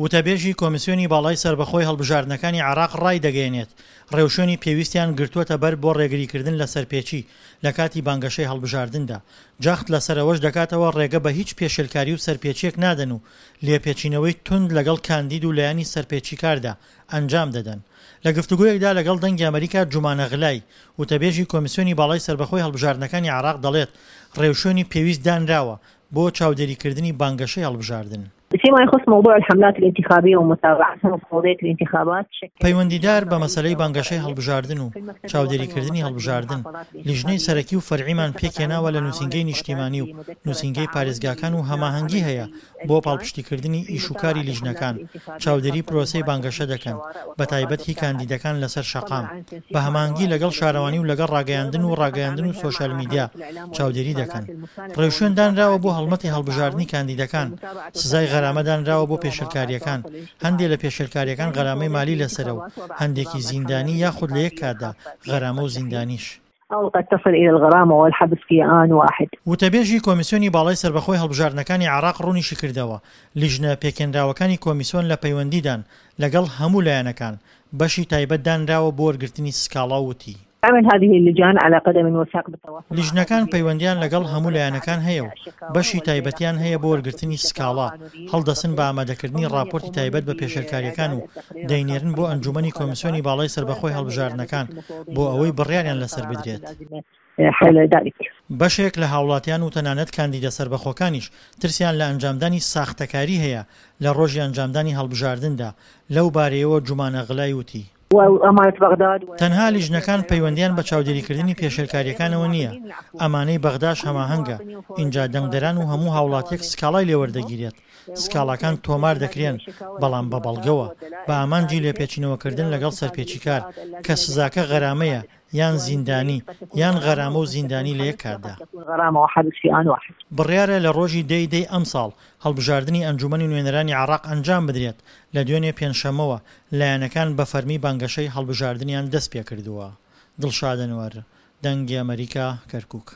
وتەبێژی کۆمیسیۆنی باڵای سەربەخۆی هەڵبژاردنەکانی عێراق ڕایدەگەیەنێت، ڕێوشوێنی پێویستیان گرتووەتە بەر بۆ ڕێگریکردن لە سەرپێچی لە کاتی بانگەشەی هەڵبژاردندا، جەخت لەسەر ئەوەش دەکاتەوە ڕێگە بە هیچ پێشێلکاری و سەرپێچییەک نادەن و لێپێچینەوەی توند لەگەڵ کاندید و لایەنی سەرپێچیکاردا ئەنجام دەدەن. لە گفتوگۆیەکدا لەگەڵ دەنگی ئەمەریکا جومانە غلای، وتەبێژی کۆمیسیۆنی باڵای سەربەخۆی هەڵبژاردنەکانی عێراق دەڵێت، ڕێوشوێنی پێویست دانراوە بۆ چاودێریکردنی بانگەشەی هەڵبژاردن. فيما يخص موضوع الحملات الانتخابية ومتابعتها ومفوضية الانتخابات پەیوەندیدار بە مەسەلەی بانگەشەی هەڵبژاردن و چاودێریکردنی هەڵبژاردن، لیژنەی سەرەکی و فەرعیمان پێکهێناوە لە نووسینگەی نیشتیمانی و نووسینگەی پارێزگاکان و هەماهەنگی هەیە بۆ پاڵپشتیکردنی ئیش و کاری لیژنەکان، چاودێری پرۆسەی بانگەشە دەکەن، بەتایبەت هی کاندیدەکان لەسەر شەقام، بە هەماهەنگی لەگەڵ شارەوانی و لەگەڵ ڕاگەیاندن و ڕاگەیاندن و سۆشیال میدیا چاودێری دەکەن. ڕێوشوێن دانراوە بۆ هەڵمەتی هەڵبژاردنی کاندیدەکان، سزای غەرامە دانراوە بۆ پێشێلکارییەکان، هەندێ لە پێشێلکارییەکان غەرامەی مالی لەسەرە و هەندێکی زیندانی یاخود لە یەک کاتدا غەرامە و زیندانیش. او قد تصل الى الغرامە والحبس في آن واحد. وتەبێژی کۆمیسیۆنی باڵای سەربەخۆی هەڵبژاردنەکانی عێراق ڕوونیشیکردەوە، لیژنە پێکهێنراوەکانی کۆمیسۆن لە پەیوەندیدان لەگەڵ هەموو لایەنەکان، بەشی تایبەت دانراوە بۆ وەرگرتنی سکاڵا و وتی. تعمل هذه اللجان على قدم وساق بالتواصل مع لیژنەکان هذه پەیوەندیان لەگەڵ الجهات هەموو وترفع لایەنەکان هەیە و الشكاوى بەشی والجهات تایبەتیان هەیە بۆ القانونية وەرگرتنی المتصلة سکاڵا، هەڵدەسن بە ئامادەکردنی هم من ڕاپۆرتی يقومون تایبەت بە پێشێلکارییەکان بإعداد و التقرير دەینێرن الخاص بۆ بهذه ئەنجومەنی المخالفات کۆمیسیۆنی باڵای سەربەخۆی ويرفعنه إلى مجلس هەڵبژاردنەکان المفوضية بۆ ئەوەی لغرض بڕیاریان اتخاذ لەسەر القرارات بدرێت. اللازمة حول ذلك. بەشێک لە هاوڵاتیان و تەنانەت کاندیدە سەربەخۆکانیش ترسیان لە ئەنجامدانی ساختەکاری هەیە لە ڕۆژی ئەنجامدانی هەڵبژاردندا، لەو بارەیەوە جومانە غلای وتی. تەنها لیژنەکان پەیوەندیان بە چاودێریکردنی پێشێلکارییەکانەوە نییە، ئەمانەی بەغداش هەماهەنگە، ئینجا دەنگدەران و هەموو هاوڵاتیەک سکاڵای لێوەردەگیرێت، سکاڵاکان تۆمار دەکرێن، بەڵام بە بەڵگەوە، بە ئامانجی لێپێچینەوەکردن لەگەڵ سەرپێچیکار، کە سزاکە غەرامەیە یان زیندانی، یان غەرامە و زیندانی لە یەک کاتدا. بڕیارە لە ڕۆژی دە ی دەی ئەمساڵ هەڵبژاردنی ئەنجوومەنی نوێنەرانی عێراق ئەنجام بدرێت، لە دوێنێ پێنجشەممەوە لایەنەکان بە فەرمی بانگەشەی هەڵبژاردنیان دەستپێکردووە. دڵشاد ئەنوەر، دەنگی ئەمەریکا، کەرکوک.